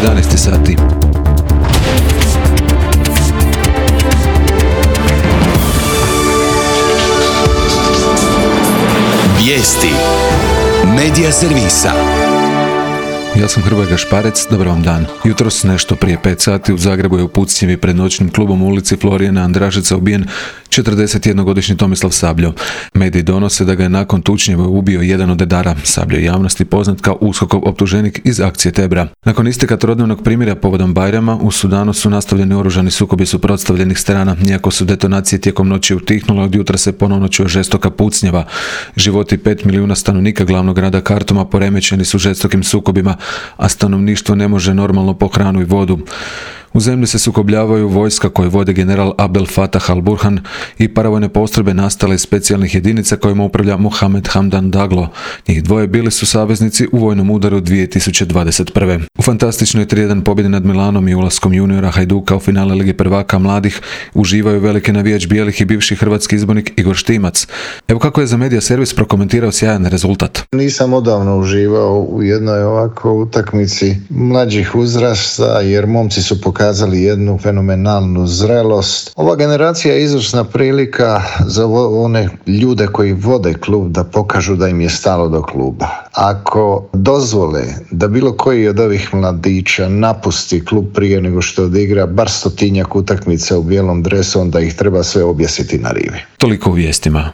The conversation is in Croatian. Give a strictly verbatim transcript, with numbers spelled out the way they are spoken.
jedanaest sati. Vijesti Medija servisa. Ja sam Hrvoje Gašparec, dobar vam dan. Jutros nešto prije pet sati u Zagrebu je u Pucnjevi pred noćnim klubom u ulici Florijana Andrašeca ubijen četrdesetjednogodišnji Tomislav Sabljo. Mediji donose da ga je nakon tučnjeva ubio jedan od redara. Sabljo je javnosti poznat kao USKOK-ov optuženik iz akcije Tebra. Nakon isteka trodnevnog primirja povodom Bajrama, u Sudanu su nastavljeni oružani sukobi suprotstavljenih strana. Iako su detonacije tijekom noći utihnule, od jutra se ponovno čuje žestoka pucnjeva. Životi pet milijuna stanovnika glavnog grada Kartuma poremećeni su žestokim sukobima, a stanovništvo ne može normalno po hranu i vodu. U zemlji se sukobljavaju vojska koju vode general Abdel Fattah al-Burhan i paravojne postrojbe nastale iz specijalnih jedinica kojima upravlja Mohamed Hamdan Daglo. Njih dvoje bili su saveznici u vojnom udaru dvije tisuće dvadeset prve. U fantastičnoj tri jedan pobjedi nad Milanom i ulaskom juniora Hajduka u finale Lige prvaka mladih uživaju veliki navijač bijelih i bivši hrvatski izbornik Igor Štimac. Evo kako je za Medija servis prokomentirao sjajan rezultat. Nisam odavno uživao u jednoj ovako utakmici mlađih uzrasta, jer momci su pokazali pokazali jednu fenomenalnu zrelost. Ova generacija je izvrsna prilika za one ljude koji vode klub da pokažu da im je stalo do kluba. Ako dozvole da bilo koji od ovih mladića napusti klub prije nego što odigra bar stotinjak utakmica u bijelom dresu, onda ih treba sve objesiti na rivi. Toliko u vijestima.